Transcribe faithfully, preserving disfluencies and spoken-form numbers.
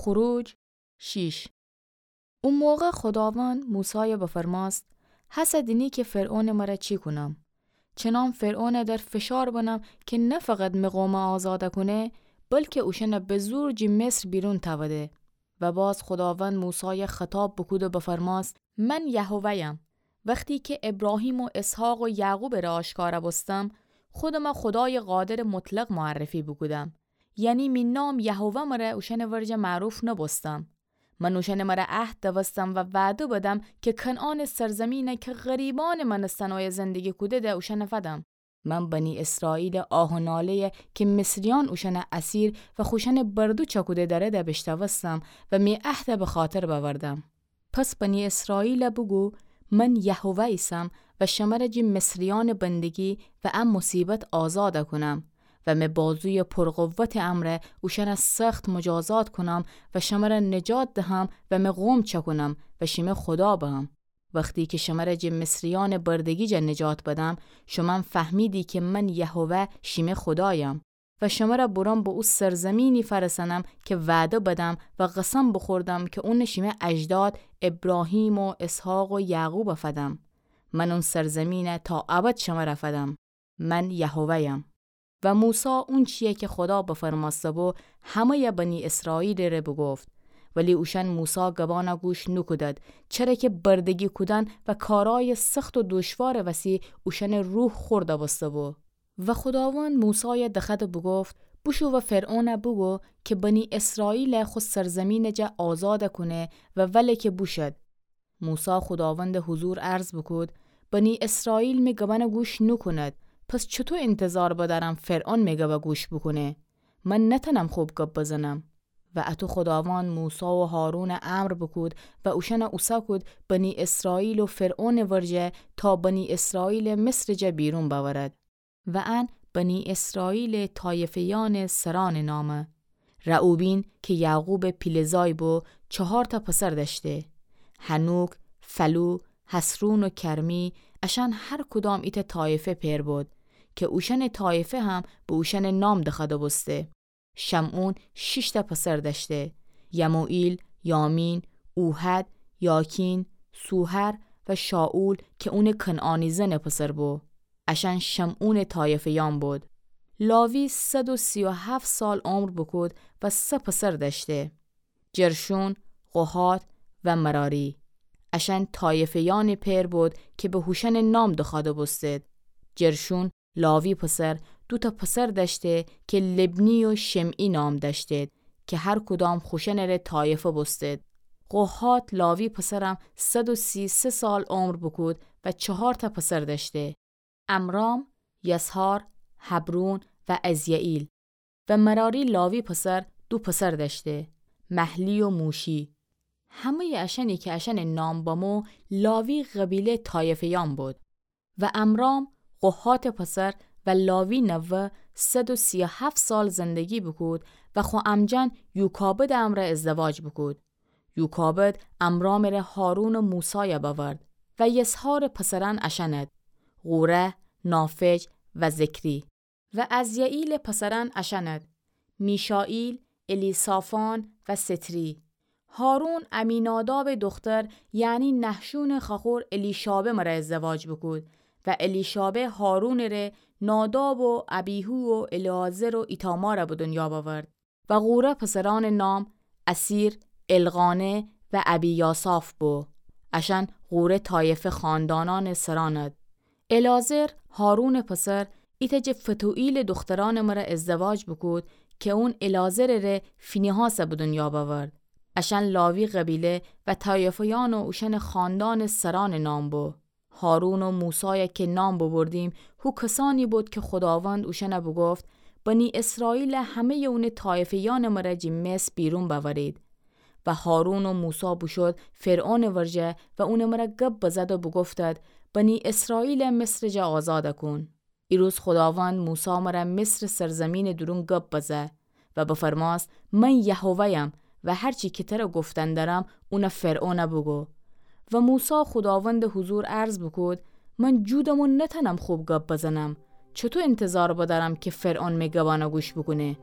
خروج شیش. او موقع خوداوند موسایَ بفرماست: هسه دینی کی فرعونٚ مره چی کونم. چنان فرعونَ در فشار بنم کی نه فقط می قومَ آزادَ کونه، بلکی اوشأنَ به زور جی مصر بیرون تأوده. و باز خوداوند موسایَ خطاب بوکود و بفرماست: من یهوه‌یم. وختی کی ابراهیم و اسحاق و یعقوبٚ ره آشکارَ بوستم، خودمَ خودایٚ قادرٚ مطلق معرفی بوکودم. یعنی می نام یهوه مره اوشأنٚ ورجه معروف نوبوستم. من اوشأنٚ مره عهد دوستم و وعده بدم کی کنعانٚ سرزمینَ کی غریبأنٚ مأنستن اویه زندگی کوده‌ده اوشأنَ فدم. من بنی اسرائیلٚ آه و ناله‌یَ کی مصریأن اوشأنَ اسیر و خوشأنٚ بردو چأکوده دأرده بیشنوستم و می عهدَ به خاطر بأوردم. پس بنی اسرائیلَ بوگو: من یهوه ایسم و شمره جی مصریأنٚ بندگی و ا مصیبت آزادَ کونم و می بازویٚ پرقوتٚ امرأ اوشأنَ سخت مجازات کونم و شمره نجات دهم و می قوم چأکونم و شیمه خودا بم. وختی کی شمره جی مصریأنٚ بردگی جا نجات بدم، شومأن فهمیدی کی من یهوه شیمه خودایم. و شمره برم به او سرزمینی فأرسأنم کی وعده بدم و قسم بوخوردم کی اونَ شیمه اجداد ابراهیم و اسحاق و یعقوبَ فدم. من اون سرزمینَ تا ابد شمره فدم. من یهوه‌یم. و موسی اونچی‌یَ کی خودا بفرمأسته‌بو همه‌یَ بنی اسرائیلٚ ره بوگفت. ولی اوشأن موسی گبانَ گوش نوکودد، چره کی بردگی کودن و کارأیٚ سخت و دوشوارٚ وسی اوشأنٚ روح خرد بوسته‌بو. و خوداوند موسایَ دخوأد و بوگفت: بوشو و فرعونَ بوگو کی بنی اسرائیلَ خو سرزمینٚ جا آزادَ کونه و وله کی بوشد. موسی خوداوندٚ حضور عرض بوکود: بنی اسرائیل می گبأنَ گوش نوکوند، پس چوطو اینتظار بدأرم فرعون می گبَ گوش بوکونه؟ من نتأنم خوب گب بزنم. و اطو خوداوند موسی و هارونَ امر بوکود و اوشأنَ اوسه کود بنی اسرائیل و فرعونٚ ورجه تا بنی اسرائیلَ مصرٚ جا بیرون بأورد. و ان بنی اسرائیلٚ طایفه‌یأنٚ سرأنٚ نامه. رعوبین کی یعقوبٚ پیله زای بو، چهارتأ پسر دأشته: حنوک، فلو، حصرون و کرمی. اشأن هر کدام ایتأ طایفه پئر بود، کی اوشأنٚ طایفه هم به اوشأنٚ نام دخوأده بوسته. شمعون شیشتأ پسر دأشته: یموئیل، یامین، اوحد، یاکین، سوحر و شائول کی اونٚ کنعانی زنٚ پسر بو. اشأن شمعونٚ طایفه‌یأن بود. لاوی صد و سی و هفت سال عمر بوکود و سه پسر دأشته: جرشون، قهات و مراری. اشأن طایفه‌یأنٚ پئر بود کی به هوشأنٚ نام دخوأده بوستید. جرشون لاوی پسر دوتأ پسر دأشته کی لبنی و شمعی نام دأشتید، کی هر کدام خوشأنٚ ره طایفه بوستید. قهات لاوی پسرم صد و سی و سه سال عمر بوکود و چهارتأ پسر دأشته: عمرام، یسحار، حبرون و عزیائیل. و مراری لاوی پسر دو پسر دأشته: محلی و موشی. همه‌یٚ اشأنی کی اشأنٚ نام بمو لاوی قبیله طایفه‌یأن بود. و عمرام، قهاتٚ پسر و لاوی نوه، صد و سی و هفت سال زندگی بوکود و خو عمجن یوکابدٚ امرأ ازدواج بوکود. یوکابد عمرامٚ ره هارون و موسای بأورد. و یسحارٚ پسرأن اشأند: قوره، نافج و ذکری. و عزیائیلٚ پسرأن اشأند: میشائیل، الیصافان و ستری. هارون عمینادابٚ دختر، یعنی نحشونٚ خوأخور الیشابه مره ازدواج بوکود و الیشابه هارونٚ ره ناداب و ابیهو و العازر و ایتامار به دنیا بأورد. و قوره پسرأنٚ نام اسیر، القانه و ابیاساف بو. اشأن قوره طایفه خاندانأنٚ سرأند. العازر، هارونٚ پسر، ایتأ جٚه فتوئیلٚ دخترأنٚ مره ازدواج بوکود کی اون العازرٚ ره فینهاس به دنیا بأورد. اشأن لاوی قبیله و طایفه‌یأن و اوشأنٚ خاندانٚ سرأنٚ نام بو. هارون و موسای کی نام ببردیم، هو کسأنی بود کی خوداوند اوشأن بوگفت: بنی اسرائیل همه‌یٚ اونٚ طایفه‌یأنٚ مره جٚه مصر بیرون بأورید. و هارون و موسی بوشود فرعونٚ ورجه و اونٚ مره گب بزد و بوگفتد: بنی اسرائیل مصرٚ جا آزاد کون. ایروز خوداوند موسی مره مصرٚ سرزمینٚ دورون گب بزه و بفرماست: من یهوه‌یم و هر چی کی تره گفتن درم، اون فرعون بوگو. و موسی خوداوندٚ حضور عرض بوکود: من جودم و نتأنم خوب گب بزنم. چوطو انتظار بدأرم کی فرعون می گبأن گوش بوکونه؟